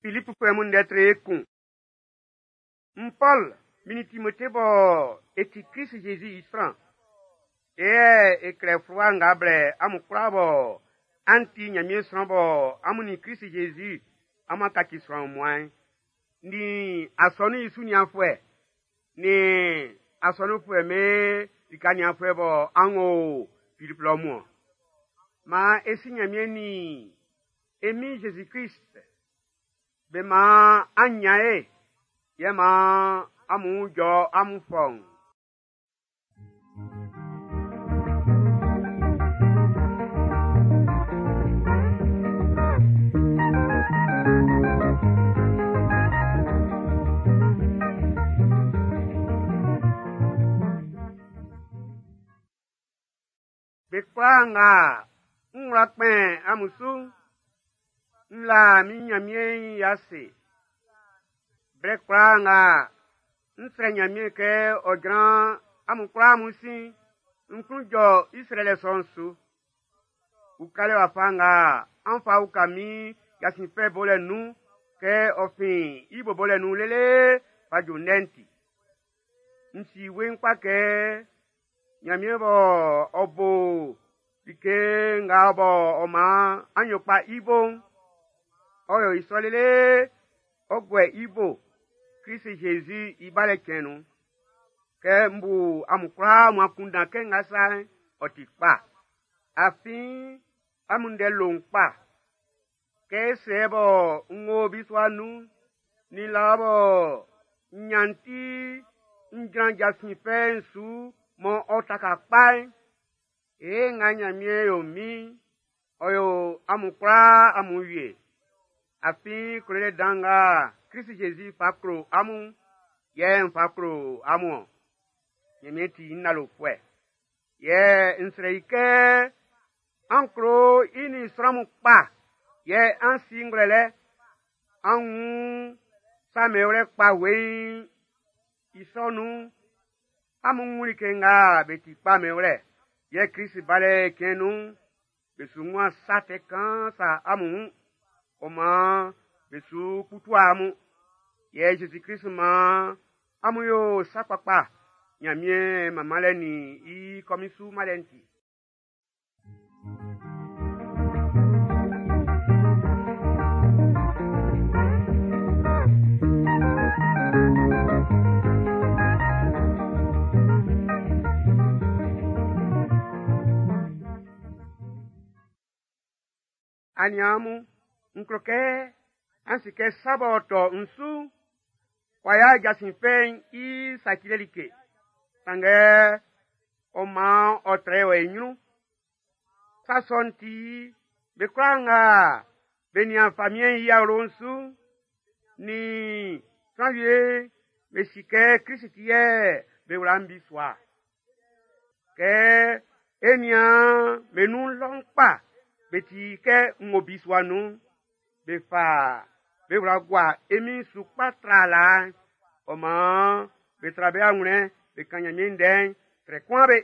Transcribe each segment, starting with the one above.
Filipfuɛ mun ndɛ tre kun. N Pɔl, min nin Timote bɔ e ti Krist-Jésus i sran, e yɛ e klɛ fluwa nga blɛ amun kwlaa bɔ an ti Nyanmiɛn sran bɔ amun nin Krist-Jésus amun a kaci sran wunmuan'n, nin asɔnun'n i su nianfuɛ, nin asɔnunfuɛ'm be lika nianfuɛ bɔ an o Filip lɔ mun-ɔn. Maan e si Nyanmiɛn nin e Min Jésus-Krist be maan an nyan ye, yɛ maan amun wun jɔ amun fɔuun. Be kwlaa nga n wla kpɛn amun su'n, n la min Nyanmiɛn'n i ase. Blɛ kwlaa nga n srɛ Nyanmiɛn kɛ ɔ jran amun kwlaa amun sin'n, n klun jɔ i srɛlɛ sɔ'n su. Ukalɛ wafa nga an fa uka min jasin fɛ bolɛ nun kɛ ɔ fin i bo bolɛ nun lele fa ju ndɛ'n ti. N si weiin kpa kɛ Nyanmiɛn bɔ ɔ bo like nga bɔ ɔ maan an yo kpa i bo'n, ɔ yo i sɔ lele ɔ guɛ i bo Krist-Jésus i balɛ cɛn'n nun. Kɛ m bu amun kwlaa amun akunndan kɛ nga sa'n, ɔ ti kpa. Afin amun ndɛ lo n kpa. Kɛ e sɛ bɔ n wo bisua nun'n, nin laa bɔ n nyan ti n jran jasin fɛ'n su mɔ ɔ taka kpa'n, e nga Nyanmiɛn yo min'n, ɔ yo amun kwlaa amun wie. Afin klolɛ dan nga Krist-Jésus fa klo amun'n, yɛ n fa klo amun-ɔn. Nyanmiɛn ti n lalofuɛ. Yɛ n srɛ i kɛ an klo i nin sran mun kpa, yɛ an si ngwlɛlɛ, an wun sa mɛnwlɛ kpa weiin. I sɔ nun'n, amun wun like nga be ti kpa mɛnwlɛ, yɛ Krist balɛ cɛn nun'n, be su wun sa tɛ kaan sa amun wun, ɔ maan be su kputu amun. Yɛ Jésus-Krist maan amun yo sa kpakpa Nyanmiɛn manmanlɛ nin i kɔmin su manlɛ'n ti. Aniaan mun, n klo kɛ an si kɛ sa b'ɔ tɔ n su'n, w'a ya jasin fɛ'n i sacilɛ like, sanngɛ ɔ maan ɔ trɛ wɔ i ɲrun. Sa sɔ'n ti, be kwlaa nga be nian famiɛn'n i awlo'n su'n, nin sran wie be si kɛ Krist ti yɛ be wla n bisua. Kɛ e nian be nun lɔ'n kpa, be ti kɛ n wo bisua nun'n, be fa be wla gua e Min'n su kpa tra laa'n, ɔ maan be tra be anwlɛn be kan Nyanmiɛn ndɛ'n srɛ kun be.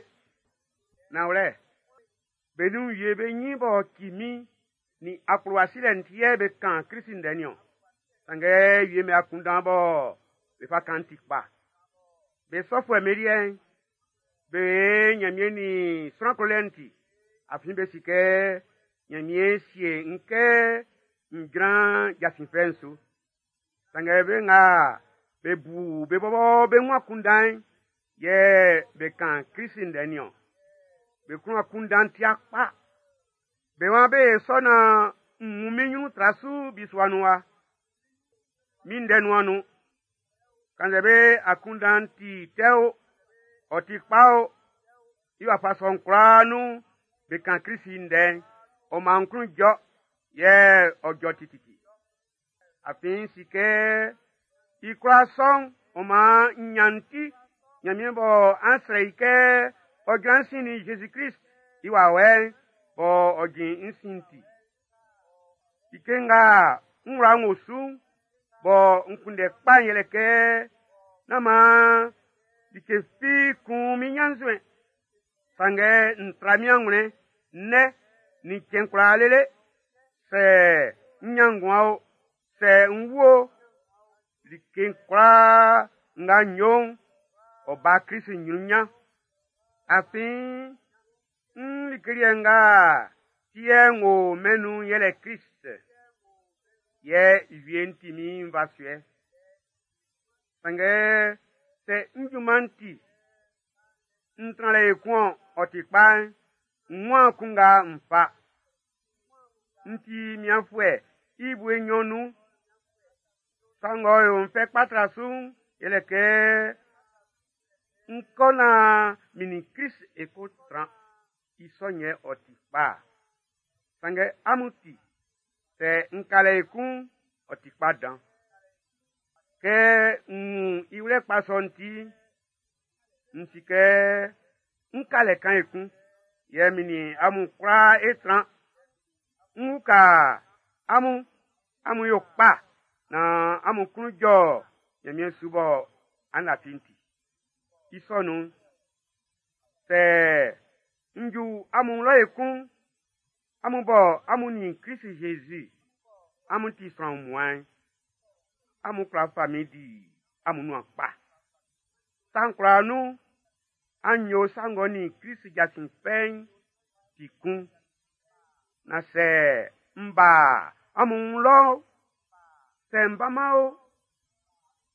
Nanwlɛ, be nun wie be nyin b'ɔ ci min nin akplowa silɛ'n ti yɛ be kan Krist ndɛ niɔn. Sanngɛ wie be akunndan bɔ be fa kan'n ti kpa. Be sɔfuɛ'm be liɛ'n, be Nyanmiɛn nin sran klolɛ'n ti, afin be si kɛ Nyanmiɛn sie n kɛ n jran jasin fɛ'n su. Sanngɛ be nga be bu be bɔbɔ be wun akunndan'n, yɛ be kan Krist ndɛ niɔn. Be klun akunndan ti'a kpa. Be waan be sɔ nan n wun min nyrun tra su bisua nun wa. Min ndɛ nuan nun. Kannzɛ be akunndan'n ti tɛ o, ɔ ti kpa o, i wafa sɔ'n kwlaa nun be kan Krist ndɛ'n, ɔ maan n klun jɔ, yɛ ɔ jɔ tititi. Afin n si kɛ i kwlaa sɔ'n ɔ maan n nyan ti Nyanmiɛn bɔ an srɛ i kɛ ɔ jran sin nin Jésus-Krist i wawɛ'n bɔ ɔ jin n sin'n ti. Like nga n wla n wo su'n, bɔ n kunndɛ kpa'n yɛlɛ kɛ nán maan like fi kun min ɲannzuɛn. Sanngɛ n tra min anwlɛn nnɛ nin cɛn kwlaa lele, sɛ n nyan nguan o, Sɛ n wu o, like'n kwlaa nga n yo'n, ɔ ba Krist nyrun. Afin n like liɛ nga ti yɛ n wo mɛn'n nun'n yɛlɛ Krist, yɛ i wie'n ti min nvasuɛ. Sanngɛ sɛ n junman'n ti n tran lɛ ekun-ɔn ɔ ti kpa'n, n waan kun nga n fa. N ti mianfuɛ i bue nnyɔn nun. Sa ng'ɔ yo n fɛ kpa tra su'n, yɛlɛ kɛ n kɔ nan min nin Krist e ko tran. I sɔ'n yɛ ɔ ti kpa-a. Sanngɛ amun ti, sɛ n ka lɛ ekun'n, ɔ ti kpa dan. Kɛ n wun i wlɛ kpa sɔ'n ti, n si kɛ n ka lɛ kan ekun, yɛ min nin amun kwlaa e tran. N uka amun, amun yo kpa, nan amun klun jɔ Nyanmiɛn su bɔ an lafi'n ti. I sɔ nun'n, sɛ n ju amun lɔ ekun'n, amun bɔ amun nin Krist-Jésus amun ti sran wunmuan'n, amun kwla fa min di amun nuan kpa. Sa'n kwlaa nun, an yo sa ng'ɔ nin Krist jasin fɛ'n ti kun. Na sɛ m ba amun wun lɔ o, sɛ m ba-man o,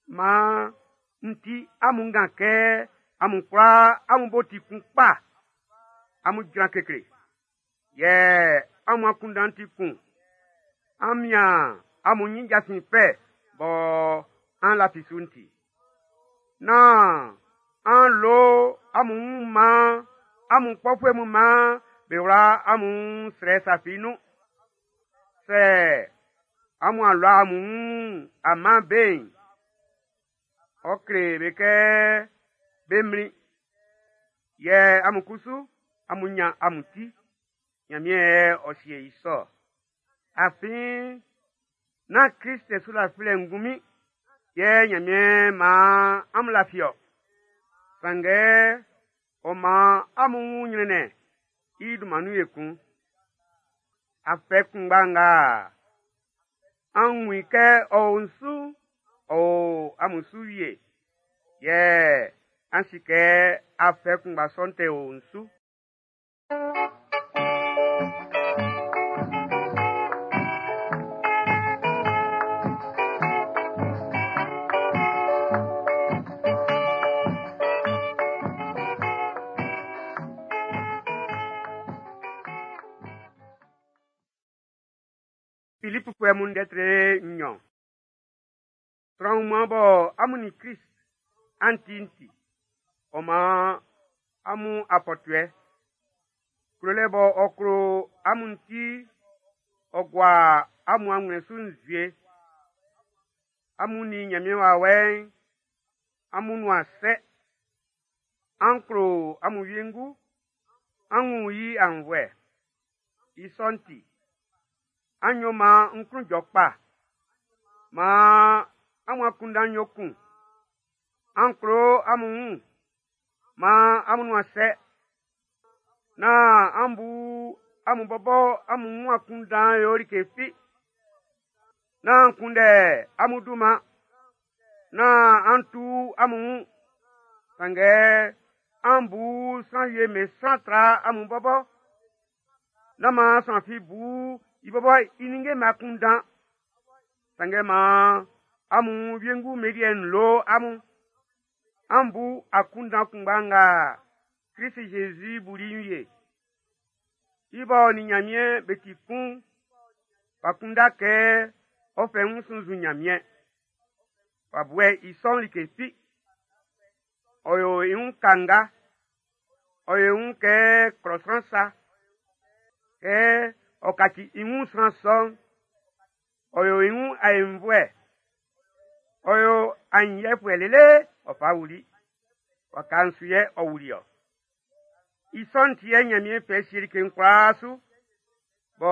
man n ti amun ngan kɛ amun kwlaa amun bo ti kun kpa, amun jran kekle, yɛ amun akunndan'n ti kun. An mian amun nyin jasin fɛ bɔ an lafi su'n ti. Nán an lo amun wun man amun kpɔfuɛ mun man be wla amun srɛ sa fi nun. Sɛ amun a lua amun wun a man be'n, ɔ kle be kɛ be mlin. Yɛ amun kusu amun nyan amun ti. Nyanmiɛn yɛ ɔ sie i sɔ. Afin nán Krist su lafilɛ ngunmin yɛ Nyanmiɛn maan amun lafi-ɔ. Sanngɛ ɔ man amun wun nyrɛnnɛn i dunman nun ekun. Afɛ kunngba nga an wun i kɛ ɔ o n su'n, ɔ o amun su wie. Yɛ an si kɛ afɛ kunngba sɔ'n tɛ o n su. Filipfuɛ mun ndɛ tre nnyɔn. Sran wunmuan bɔ amun nin Krist an ti'n ti, ɔ man amun afɔtuɛ. Klolɛ bɔ ɔ klo amun'n ti, ɔ gua amun anwlɛn su nzue. Amun nin Nyanmiɛn Wawɛ'n amun nuan sɛ. An klo amun wiengu, an wun i aunnvuɛ. I sɔ'n ti, an yo man n klun jɔ kpa. Man amun akunndan'n yo kun. An klo amun wun, man amun nuan sɛ. Nán an bu amun bɔbɔ amun wun akunndan yo like fi. Nán an kunndɛ amun dunman. Nán an tu amun wun. Sanngɛ an bu sran wie me sran tra amun bɔbɔ. Nán maan sran fi bu i bɔbɔ i ninnge'm akunndan. Sanngɛ maan amun wiengu be liɛ'n lo amun. An bu akunndan kunngba nga Krist-Jésus buli'n wie. I b'ɔ nin Nyanmiɛn be ti kun'n, w'a kunndɛ kɛ ɔ fɛ wun sunnzun Nyanmiɛn. W'a buɛ i sɔ'n like fi. Ɔ yo i wun kanga. Ɔ yo i wun kɛ klɔ sran sa. Kɛ ɔ kaci i wun sran sɔ'n, ɔ yo i wun aenvuɛ. Ɔ yo aɲinyiɛfuɛ lele ɔ fa wuli. Waka'n su yɛ ɔ wuli-ɔ. I sɔ'n ti yɛ Nyanmiɛn fɛ sie like'n kwlaa su, bɔ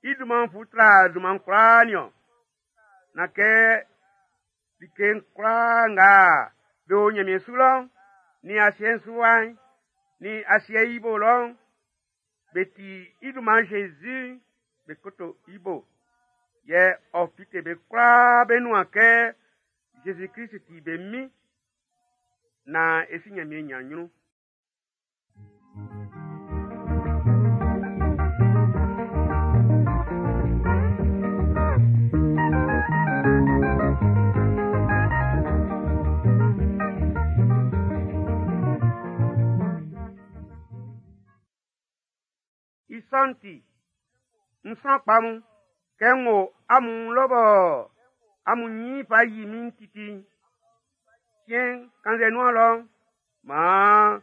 i dunman'n fu tra dunman kwlaa nin-ɔn. Na kɛ like'n kwlaa nga be o Nyanmiɛn su lɔ'n, nin asiɛ'n su wa'n, nin asiɛ'n i bo lɔ'n, be ti i dunman Jésus be koto i bo. Yɛ ɔ fite be kwlaa be nuan kɛ Zezi Klist ti be min naan e si Ɲanmiɛn ɲan ɲrun. I sɔ'n ti, n sran kpa mun, kɛ n wo amun wun lɔ bɔ amun nyin fa yi min titi'n, siɛn'n, kannzɛ n nun'an lɔ'n, maan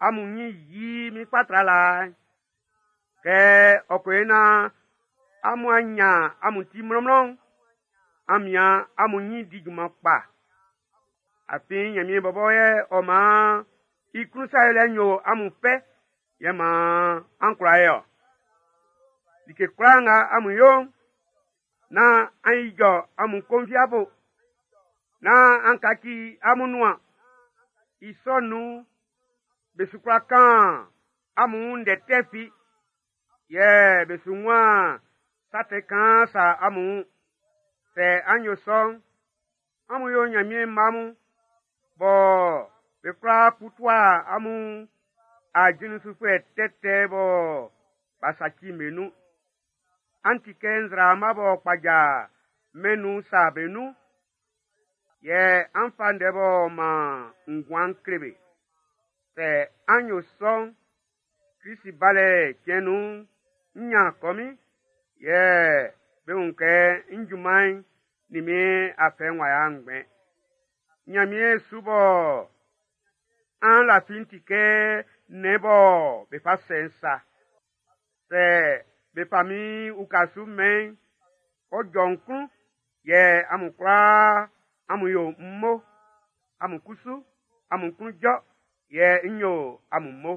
amun nyin yi min kpa tra laa'n. Kɛ ɔ ko yo naan amun a nyan amun ti mlɔnmlɔn'n, an mian amun nyin di junman kpa. Afin Nyanmiɛn bɔbɔ yɛ ɔ maan i klun sa yolɛ'n yo amun fɛ, yɛ maan an kwla ye ɔ. Like kwlaa nga amun yo'n, nán an ijɔ amun konviabo, nán an kaci amun nuan. I sɔ'n nun'n, be su kwla kan amun wun ndɛ tɛ fi, yɛ be su wunman sa tɛ kaan sa amun wun. Sɛ an yo sɔ'n, amun yo Nyanmiɛn mma mun, bɔ be kwla kputua amun ajulisufuɛ tɛtɛ bɔ b'a saci'n be nun. An ti kɛ nzraama b'ɔ kpaja mɛn'n nun sa be nun, yɛ an fa ndɛ b'ɔ man nguan'n kle be. Sɛ an yo sɔ'n, Krist balɛ cɛn nun'n, n ʼnyan kɔmin, yɛ be wun kɛ n junman'n nin min afɛ'n w'a yo ngbɛn. Nyanmiɛn su bɔ an lafi'n ti kɛ nnɛn bɔ be fa sɛ'n sa. Sɛ be fa min uka su mɛn'n, ɔ jɔ n klun, yɛ amun kwlaa amun yo m mo. Amun kusu, amun klun jɔ, yɛ n yo amun mo.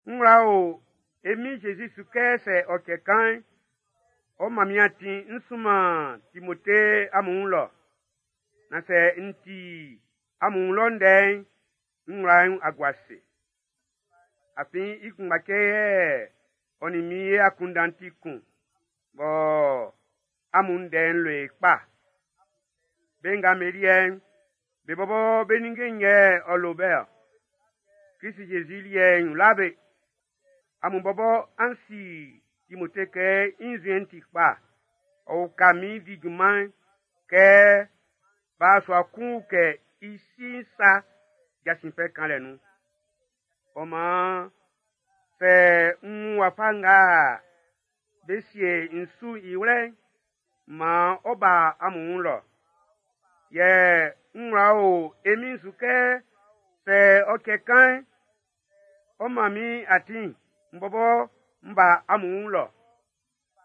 N wla o e Min Jésus su kɛ sɛ ɔ cɛ kan'n, ɔ man min atin n sunman Timote amun wun lɔ. Na sɛ n ti amun wun lɔ ndɛ'n, n wla'n a gua ase. Afin i kunngba cɛ yɛ ɔ nin min e akunndan ti kun, bɔ amun ndɛ'n lo e kpa. Be nga be liɛ'n, be bɔbɔ be ninnge'n yɛ ɔ lo be-ɔ. Krist Jésus liɛ'n wla be. Amun bɔbɔ an si Timote kɛ i nzuɛn'n ti kpa. Ɔ uka min di junman kɛ b'a sua kun kɛ i si'n sa jasin fɛ kanlɛ nun. Ɔ maan, sɛ n wun wafa nga be sie n su i wlɛ'n, maan ɔ ba amun wun lɔ. Yɛ n wla o e Min'n su kɛ sɛ ɔ cɛ kan'n, ɔ man min atin n bɔbɔ n ba amun wun lɔ.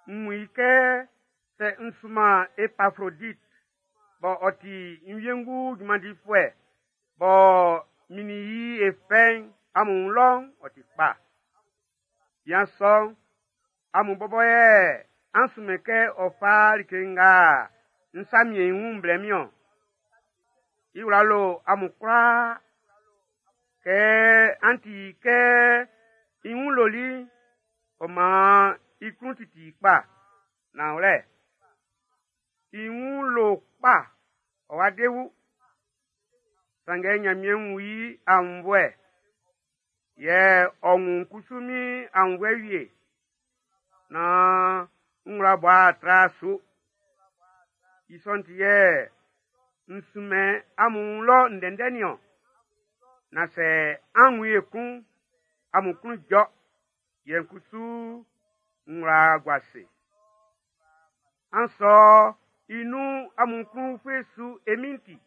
N wun i kɛ sɛ n sunman Epafrodit bɔ ɔ ti n wiengu junman difuɛ bɔ min nin i e fɛ'n amun wun lɔ'n, ɔ ti kpa. Bian sɔ'n, amun bɔbɔ yɛ an sunmɛn kɛ ɔ fa like nga n sa miɛn i wun'n blɛ min-ɔn. I wla lo amun kwlaa. Kɛ an ti kɛ i wun loli'n, ɔ maan i klun titi i kpa. Nanwlɛ, i wun lo kpa, ɔ wa de wu. Sanngɛ Nyanmiɛn wun i aunnvuɛ, yɛ ɔ wun kusu min aunnvuɛ wie, naan n wla bɔ a tra su. I sɔ'n ti yɛ n sunmɛn amun wun lɔ ndɛndɛ nin-ɔn. Na sɛ an wun i ekun'n, amun klun jɔ, yɛ n kusu n wla gua ase. An sɔ i nun amun klun ufue su e Min'n ti.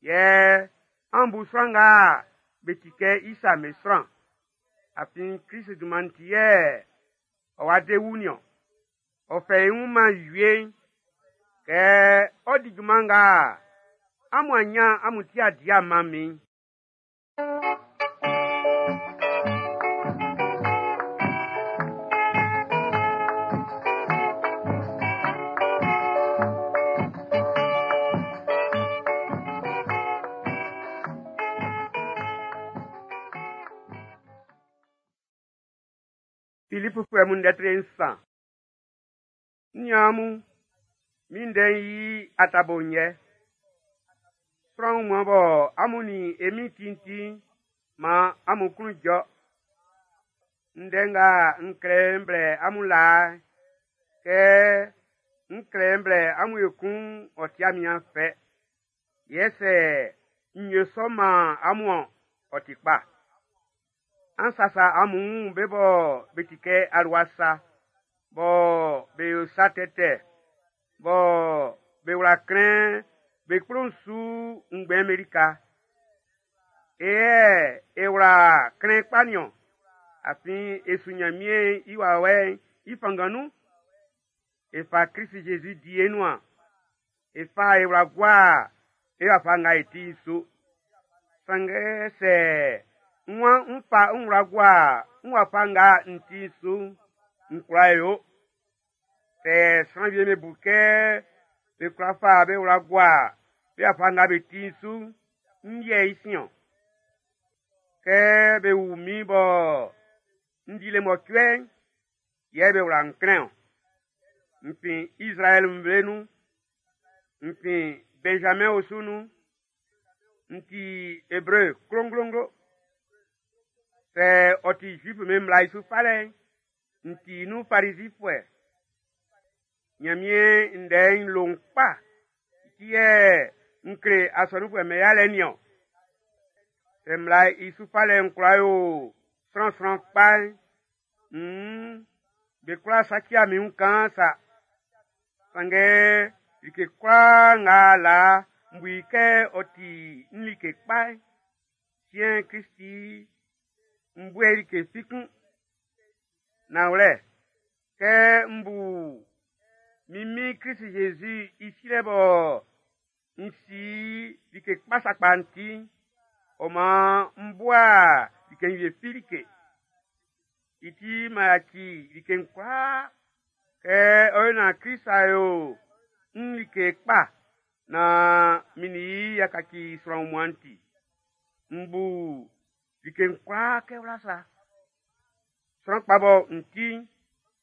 Yɛ an bu sran nga be ti kɛ i sa be sran. Afin Krist dunman'n ti yɛ ɔ wa de wu nin-ɔn. Ɔ fɛ i wun man wie'n, kɛ ɔ di junman nga amun a nyan amun ti a di a man min'n. Filipufuɛ mun ndɛ tre nsan. N niaan mun, min ndɛ'n yi atabo'n yɛ. Sran wunmuan bɔ amun nin e Min'n ti'n ti'n, man amun klun jɔ. Ndɛ nga n klɛ n blɛ amun laa'n, kɛ n klɛ n blɛ amun ekun'n ɔ ti min fɛ. Yɛ sɛ n yo sɔ man amun-ɔn, ɔ ti kpa. An sasa amun wun be bɔ be ti kɛ alua sa, bɔ be yo sa tɛtɛ, bɔ be wla klɛn be kplo'n su ngbɛn'n be lika. E yɛ e wla klɛn kpa nin-ɔn, afin e su Nyanmiɛn i wawɛ'n i fanngan nun. E fa Krist-Jésus di e nuan. E fa e wla gua e wafa nga e ti'n su. Sanngɛ sɛ n waan n fa n wla gua n wafa nga n ti'n su'n, n kwla yo. Sɛ sran wie'm be bu kɛ be kwla fa be wla gua be wafa nga be ti'n su'n, n yɛ i sin-ɔn. Kɛ be wu min bɔ n di le mɔcuɛ'n, yɛ be wla n klɛn-ɔn. N fin Izraɛl nvle nun, n fin Benjamin osu nun, n ti Ebre klonglonglo. Sɛ ɔ ti Zuif'm be mmla'n i su falɛ'n, n ti nun Farizifuɛ. Nyanmiɛn ndɛ'n lo n kpa, i ti yɛ n kle asɔnunfuɛ'm be yalɛ nin-ɔn. Sɛ mmla'n i su falɛ'n kwla yo sran sran kpa'n, nn be kwla saci min wun kaan sa. Sanngɛ like kwlaa nga laa n bu i kɛ ɔ ti n like kpa'n, siɛn'n Krist ti n bu i like fi kun. Nanwlɛ, kɛ m bu min Min Krist-Jésus i silɛ bɔ n si like kpa sakpa'n ti'n, ɔ man m bua like wie fi like. I ti m'an yaci like'n kwlaa kɛ ɔ yo nan Krist a yo n like kpa nan min nin i y'a kaci sran wunmuan'n ti. M bu like'n kwlaa kɛ wla sa. Sran kpa bɔ n ti'n,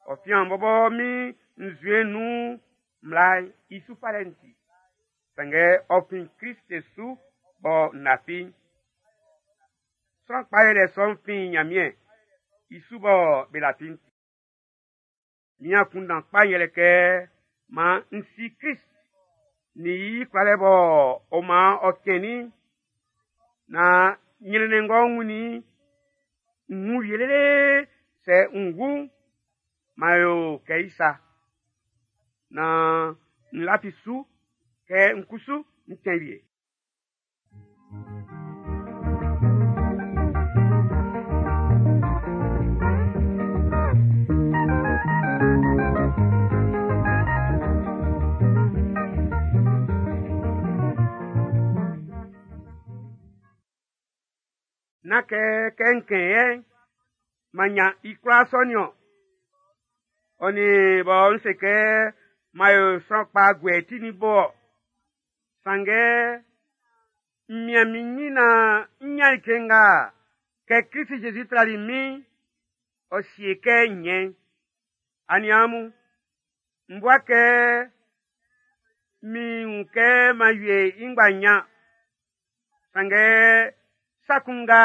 ɔ fian bɔbɔ min nzuɛn nun mmla'n i su falɛ'n ti. Sanngɛ ɔ fin Krist su bɔ n lafi'n. Sran kpa yolɛ sɔ'n fin Nyanmiɛn i su bɔ be lafi'n ti. Min akunndan kpa yɛlɛ kɛ man n si Krist nin i kwlalɛ bɔ ɔ man ɔ cɛnnin'n, nan nyrɛnnɛn ng'ɔ wunnin i'n, n wun wie lele sɛ n wu'n, man yo kɛ i sa. Nan n lafi su kɛ n kusu n cɛn wie. Nán kɛ kɛ n kɛn yɛ'n, m'an nyan i kwlaa sɔ nin-ɔn. Ɔ nin bɔ n se kɛ m'an yo sran kpa guɛ i ti nin bo-ɔ. Sanngɛ n mian min nyin nan n nyan like nga kɛ Krist-Jésus trali min'n, ɔ sie kɛ n nyɛn'n. Aniaan mun, m bua kɛ min wun kɛ m'an wie i ngba nyan. Sanngɛ sa kun nga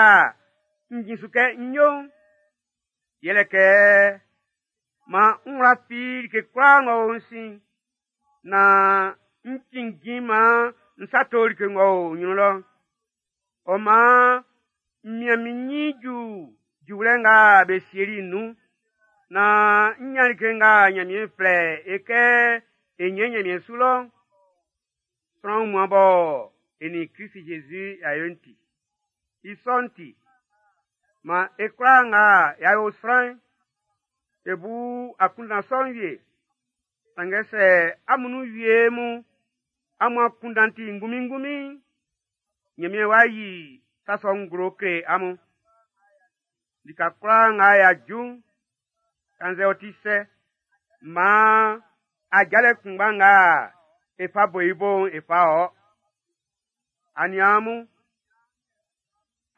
n jin su kɛ n yo'n, yɛlɛ kɛ man n wla fi like kwlaa ng'ɔ o n sin'n, nan n cinnjin man n sa to like ng'ɔ o n nyrun lɔ'n. Ɔ man n mian min nyin ju juwlɛ nga be sieli'n nun, nan n nyan like nga Nyanmiɛn flɛ e kɛ e nyɛn Nyanmiɛn su lɔ'n. Sran wunmuan bɔ e nin Krist-Jésus y'a yo'n ti. I sɔ'n ti, man e kwlaa nga y'a yo sran'n, e bu akunndan sɔ'n wie. Sanngɛ sɛ amun nun wie mun amun akunndan ti ngunmin-ngunmin'n, Nyanmiɛn w'a yi sa sɔ'n nglo kle amun. Lika kwlaa nga y'a ju'n, kannzɛ ɔ ti sɛ, maan ajalɛ kunngba nga e fa bo i bo'n e fa ɔ. Aniaan mun,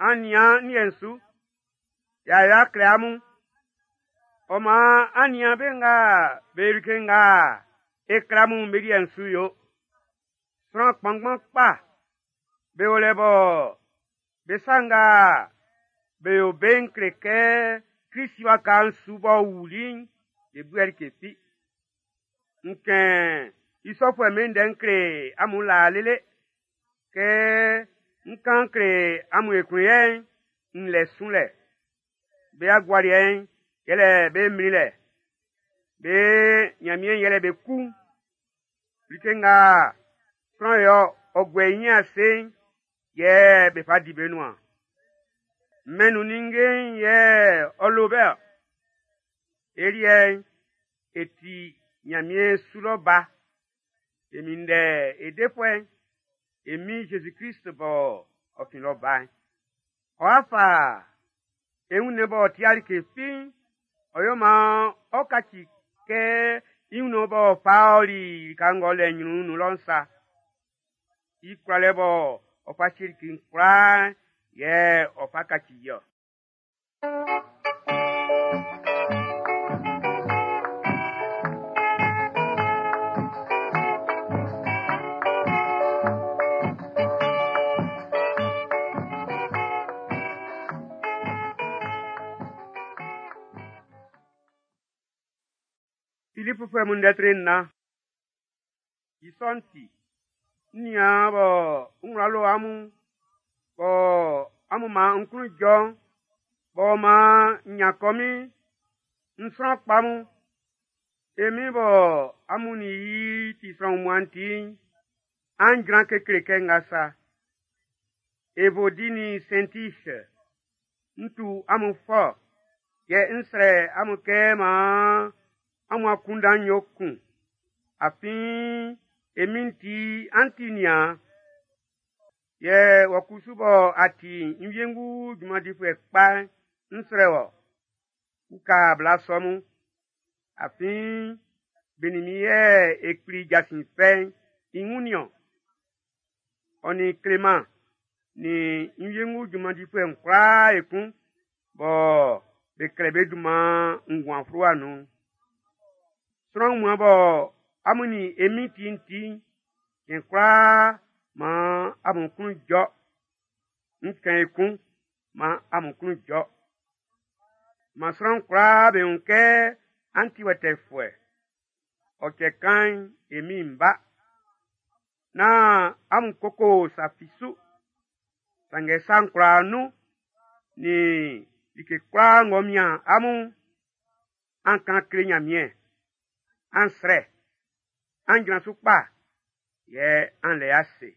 an nian n liɛ'n su, y'a yo a kle amun. Ɔ maan an nian be nga be like nga e kle amun'n be liɛ'n su yo. Sran kpanngban kpa be o lɛ bɔ be sa nga be yo be'n kle kɛ Krist waka'n su b'ɔ wuli'n, be bu'ɛ like fi. N kɛn i sɔfuɛ'm be ndɛ n kle amun laa lele. Kɛ n kan kle amun ekun yɛ'n, n lɛ sunlɛ. Be agualiɛ'n yɛlɛ be mlinlɛ. Be Nyanmiɛn yɛlɛ be ku'n. Like nga sran yɛ ɔ guɛ i nyin ase'n, yɛ be fa di be nuan. Mɛn nun ninnge'n yɛ ɔ lo be-ɔ. E liɛ'n, e ti Nyanmiɛn su lɔ ba. E minndɛ e defuɛ'n, e Min Jésus-Christ bɔ ɔ fin lɔ ba'n. Ɔ'a fa e wunnɛn b'ɔ ti'a like fi'n, ɔ yo maan ɔ kaci kɛ i wunnɛn b'ɔ fa ɔli lika ng'ɔ lɛ nyrun'n nun lɔ'n sa. I kwlalɛ bɔ ɔ fa sie like'n kwlaa yɛ ɔ fa kaci i-ɔ. Filipfuɛ mun ndɛ tre nnan. I sɔ'n ti, n nian bɔ n wla lo amun, bɔ amun man n klun jɔ'n, b'ɔ man n nyan kɔmin'n, n sran kpa mun, e Min bɔ amun nin i ti sran wunmuan'n ti'n, an jran kekle kɛ nga sa. Evodi nin Sɛntis, n tu amun fɔ, yɛ n srɛ amun kɛ maan amun akunndan'n yo kun. Afin e Min'n ti an ti niaan. Yɛ wɔ kusu bɔ a ti n wiengu junman difuɛ kpa'n, n srɛ wɔ, uka bla sɔ mun. Afin be nin min yɛ e kpli jasin fɛ'n i wun nin-ɔn. Ɔ nin Kleman nin n wiengu junman difuɛ'n kwlaa ekun bɔ be klɛ be dunman nguan fluwa nun'n. Sran wunmuan bɔ amun nin e Min'n ti'n ti'n, cɛn kwlaa maan amun klun jɔ. N kɛn ekun, maan amun klun jɔ. Man sran kwlaa be wun kɛ an ti wɛtɛfuɛ. Ɔ cɛ kan'n, e Min'n ba. Nán amun koko sa fi su. Sanngɛ sa'n kwlaa nun, nin like kwlaa ng'ɔ mian amun'n, an kan kle Nyanmiɛn. An srɛ, an jran su kpa, yɛ an lɛ ase.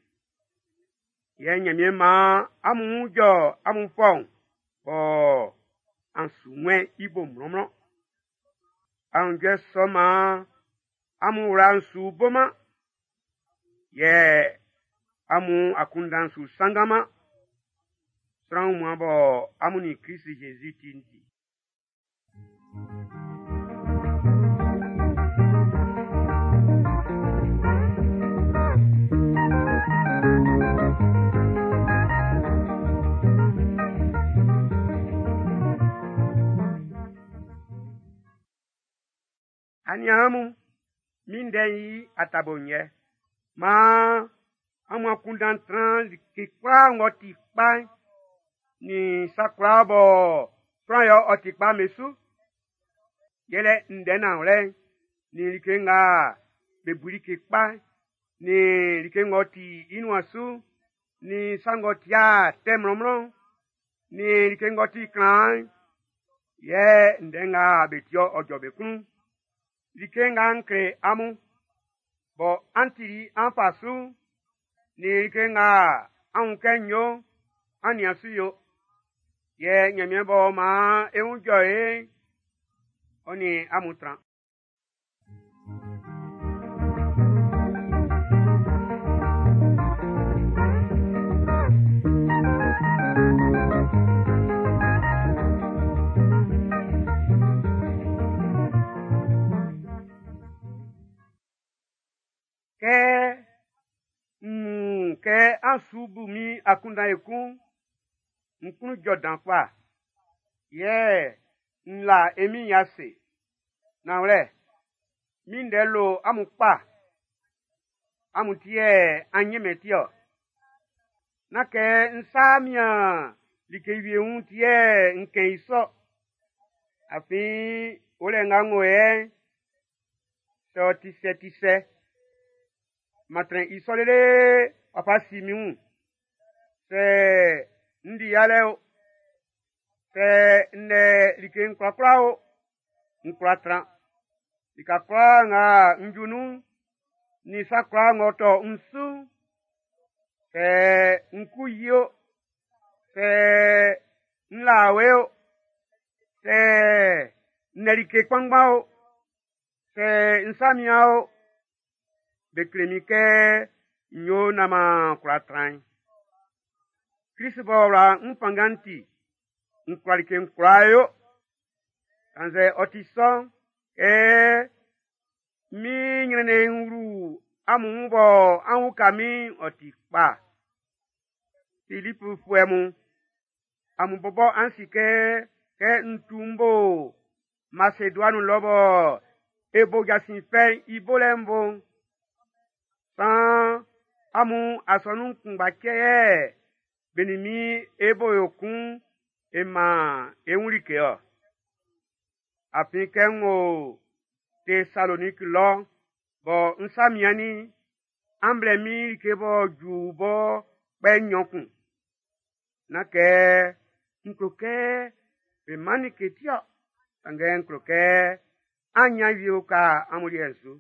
Yɛ Nyanmiɛn maan amun wun jɔ amun fɔun, bɔ an su wɛn i bo mlɔnmlɔn. Aunjuɛ sɔ maan amun wla'n su boman, yɛ amun akunndan'n su sannganman. Sran wunmuan bɔ amun nin Krist Jésus ti'n ti. Aniaan mun, min ndɛ'n i atabo'n yɛ. Maan amun akunndan tran like kwlaa ng'ɔ ti kpa'n, nin sa kwlaa bɔ sran yɛ ɔ ti kpa'n be su. Yɛlɛ ndɛ nanwlɛ'n, nin like nga be bu like kpa'n, nin like ng'ɔ ti i nuan su'n, nin sa ng'ɔ ti'a tɛ mlɔnmlɔn'n, nin like ng'ɔ ti klan'n, yɛ ndɛ nga be ti-ɔ ɔ jɔ be klun. Like nga n kle amun, bɔ an tili an fa su'n, nin like nga an wun kɛ n yo'n, an nian su yo. Yɛ Nyanmiɛn b'ɔ maan e wun jɔ e'n, ɔ nin amun tran. Kɛ n wun kɛ an su bu min akunndan ekun, n klun jɔ dan kpa. Yɛ n la e Min'n i ase. Nanwlɛ, min ndɛ lo amun kpa. Amun ti yɛ an ɲɛnmɛn ti-ɔ. Nán kɛ n sa mian like wie wun ti yɛ n kɛn i sɔ. Afin olɛ nga n wo yɛ'n, sɛ ɔ ti sɛ ti sɛ, ma trɛn i sɔ lele ɔ fa si min wun. Sɛ n di yalɛ o, sɛ n lɛ like'n kwlakwla o, n kwla tran. Lika kwlaa nga n ju nun'n, nin sa kwlaa ng'ɔ tɔ n su'n, sɛ n ku yi o, sɛ n la awe o, sɛ n lɛ like kpanngban o, sɛ n sa mian o, be kle min kɛ n yo naan m'an kwla tran'n. Krist b'ɔ wla n fanngan'n ti, n kwla like'n kwlaa yo. Kannzɛ ɔ ti sɔ'n, kɛ min nyrɛnnɛn'n wlu amun wun bɔ an uka min'n, ɔ ti kpa. Filipfuɛ mun, amun bɔbɔ an si kɛ kɛ n tu m bo Maseduani lɔ bɔ e bo jasin fɛ'n i bolɛ'n bo'n, saan amun asɔnun kunngba cɛ yɛ be nin min e bo yo kun e man e wun like-ɔ. Afin kɛ n wo Tesaloniki lɔ'n, bɔ n sa miannin'n, an blɛ min like b'ɔ ju bɔ kpɛ nnyɔn kun. Nán kɛ n klo kɛ be man like ti-ɔ, sanngɛ n klo kɛ an nyan wie uka amun liɛ'n su.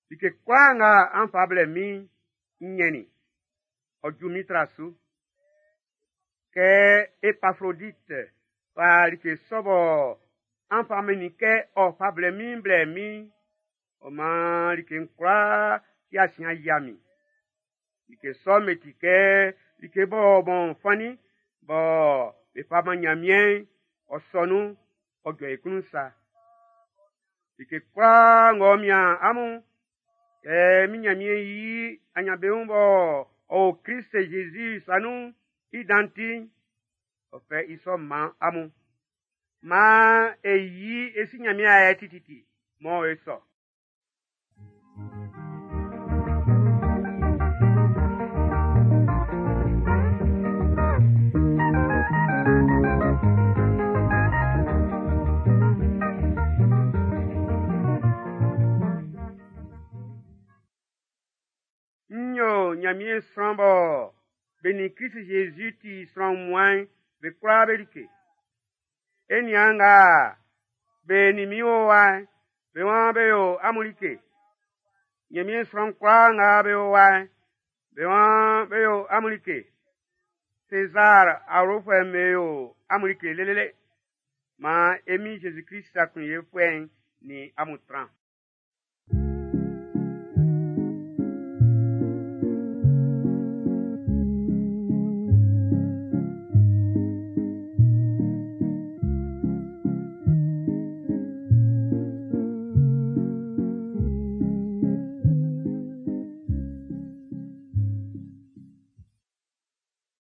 Like kwlaa nga an fa blɛ min'n, n nyɛnnin i, ɔ ju min tra su. Kɛ Epafrodit fa like sɔ bɔ an fa mɛnnin i kɛ ɔ fa blɛ min'n blɛ min'n, ɔ maan like'n kwlaa i asiɛn yia min. Like sɔ'n be ti kɛ like b'ɔ bɔn fannin bɔ be fa man Nyanmiɛn'n, ɔ sɔ nun, ɔ jɔ i klun sa. Like kwlaa ng'ɔ mian amun'n, kɛ min Nyanmiɛn yi anyanbeun b'ɔ o Krist Jésus sa nun'n i dan ti'n, ɔ fɛ i sɔ man amun. Maan e yi e si Nyanmiɛn ayɛ tititi, mɔ e sɔ. N yo Nyanmiɛn sran bɔ be nin Krist Jésus ti sran wunmuan'n be kwlaa be like. E niaan nga be nin min o wa'n, be waan be yo amun like. Nyanmiɛn sran kwlaa nga be o wa'n, be waan be yo amun like. Sezar awlofuɛ'm be yo amun like lelele. Maan e Min Jésus-Krist aklunyefuɛ'n nin amun tran.